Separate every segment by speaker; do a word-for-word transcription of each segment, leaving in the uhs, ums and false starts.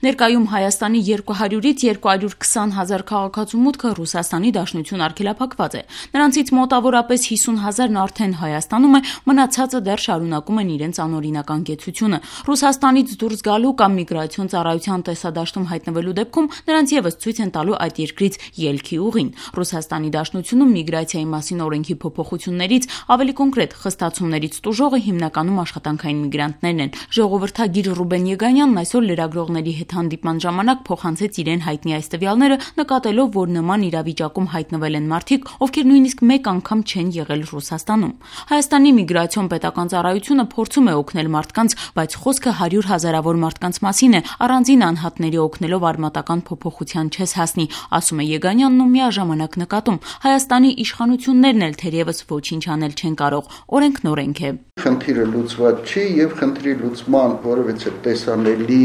Speaker 1: Ներկայում Հայաստանի երկու հարյուրից երկու հարյուր քսան հազար քաղաքացու մուտքը Ռուսաստանի Դաշնություն արգելափակված է։ Նրանցից մոտավորապես հիսուն հազարն արդեն Հայաստանում է, մնացածը դեռ շարունակում են իրենց անօրինական կեցությունը։ Ռուսաստանից դուրս գալու կամ միգրացիոն ծառայության տեսադաշտում հայտնվելու դեպքում նրանց ևս ցույց են տալու այդ երկրից ելքի ուղին։ Ռուսաստանի Դաշնությունում միգրացիայի մասին օրենքի փոփոխություններից, ավելի կոնկրետ խստացումներից տուժողը հիմնականում աշխատանքային միգրանտներն են։ Ժողովրդագիր Ռուբեն Եգանյանն այսօր լրագրողների հետ հանդիպման ժամանակ փոխանցեց իրեն հայտնի այս տվյալները, նկատելով, որ նման իրավիճակում հայտնվել են մարդիկ, ովքեր նույնիսկ մեկ անգամ չեն եղել Ռուսաստանում։ Հայաստանի միգրացիոն պետական ծառայությունը փորձում է օգնել մարդկանց, բայց խոսքը հարյուր հազարավոր մարդկանց մասին է, առանձին անհատների օգնելով արմատական փոփոխության չես հասնի, ասում է Եգանյանն ու միաժամանակ նկատում. Հայաստանի իշխանություններն էլ թերևս ոչինչ անել չեն կարող, օրենքն օրենք է։
Speaker 2: Խնդիրը լուծված չի եւ խնդրի լուծման որևէ տեսանելի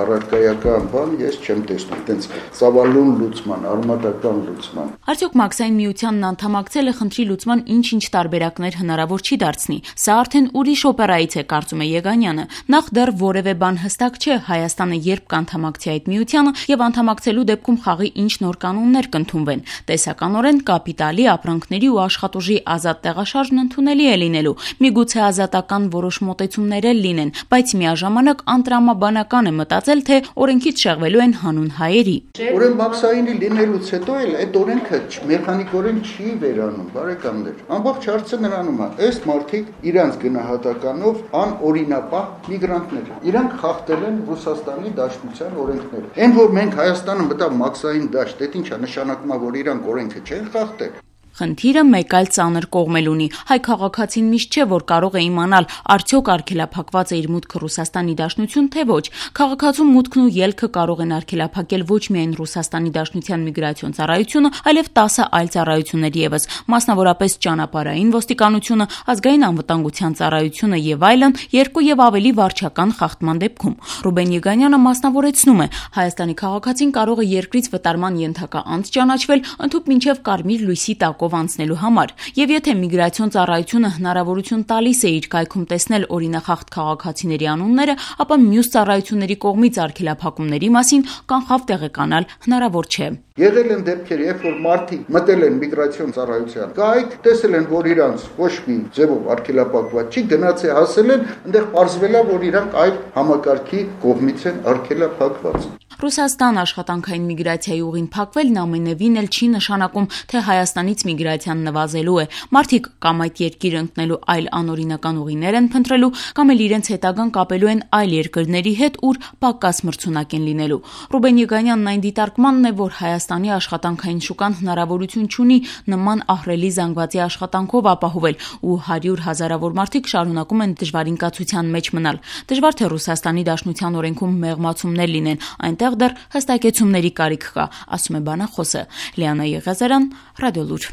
Speaker 2: առարկայական բան ես չեմ տեսնում, այդպես ծավալուն լուծման, արմատական լուծման։
Speaker 1: Արդյոք Մաքսային միությանն անդամակցելը խնդրի լուծման ինչ-ինչ տարբերակներ հնարավոր չի դարձնի։ Սա արդեն ուրիշ օպերայից է, կարծում է Եգանյանը։ Նախ դեռ որևէ բան հստակ չէ Հայաստանը երբ կանդամակցի այդ միությանը եւ անդամակցելու դեպքում խաղի ինչ նոր կանոններ կընդունվեն։ Տեսականորեն կապիտալի, ապրանքների ու աշխատուժի ազատ տեղաշարժն ընդունելի է լինելու։ Միգուցե ազատական որոշ մոտեցումներ էլ լինեն, բայց միաժամանակ անտրամաբանական է մտածել, թե օրենքից շեղվելու են հանուն հայերի։
Speaker 2: Ուրեմն Մաքսայինի լինելուց հետո էլ այդ օրենքը մեխանիկորեն չի վերանում, բարեկամներ։ Ամբողջ հարցը նրանում է, այս մարդիկ իրանց գնահատականով անօրինապահ միգրանտներ են։ Իրանք խախտել են Ռուսաստանի Դաշնության օրենքները։ Այն որ մենք Հայաստանը մտավ Մաքսային դաշտ, դա ի՞նչ է նշանակում, որ իրանք օրենքը չեն խախտել։
Speaker 1: Խնդիրը մեկ այլ ծանր կողմել ունի։ Հայ քաղաքացին միշտ չէ, որ կարող է իմանալ, արդյոք արգելափակված է իր մուտքը Ռուսաստանի Դաշնություն, թե ոչ։ Քաղաքացու մուտքն ու ելքը կարող են արգելափակել ոչ միայն Ռուսաստանի Դաշնության միգրացիոն ծառայությունը, այլև տասը այլ ծառայություններ ևս, մասնավորապես ճանապարհային ոստիկանությունը, ազգային անվտանգության ծառայությունը եւ այլն, երկու եւ ավելի վարչական խախտման դեպքում։ Ռուբեն Եգանյանը մասնավորեցնում է, Հայաստանի քաղաքացին կարող է երկրից վտարման ենթակա անձ ճանաչվել, ընդհուպ մինչեւ կարմիր լույսի տակով անցնելու համար, եւ եթե միգրացիոն ծառայությունը հնարավորություն տալիս է իր կայքում տեսնել օրինախախտ քաղաքացիների անունները, ապա մյուս ծառայությունների կողմից արգելափակումների մասին կանխավ տեղեկանալ հնարավոր չէ։
Speaker 2: Եղել են դեպքեր, երբ որ մարդիկ մտել են միգրացիոն ծառայության կայք, տեսել են, որ իրանց ոչ մի ձևով արգելափակված չի, գնաց է հասել են, այնտեղ պարզվել է, որ իրանք այդ համակարգի կողմից են արգելափակված։
Speaker 1: Ռուսաստան աշխատանքային միգրացիայի ուղին փակվելն ամենևին էլ չի նշանակում, թե Հայաստանից միգրացիան նվազելու է։ Մարդիկ կամ այդ երկիրը ընկնելու այլ անօրինական ուղիներ են փնտրելու, կամ էլ իրենց հետագան կապելու են այլ երկրների հետ, ուր պակաս մրցունակ են լինելու։ Ռուբեն Եգանյանն այն դիտարկմանն է, որ Հայաստանի աշխատանքային շուկան հնարավորություն չունի նման ահռելի զանգվածի աշխատանքով ապահովել, ու հարյուր հազարավոր մարդիկ շարունակում են դժվարինկացության մեջ մնալ։ Դժվար թե Ռուսաստանի Դաշնության օրենքում մեղմացումներ լինեն, այնտեղ դեռ հստակեցումների կարիք կա, ասում է բանախոսը։ Լիանա Եղիազարյան, Ռադիոլուր։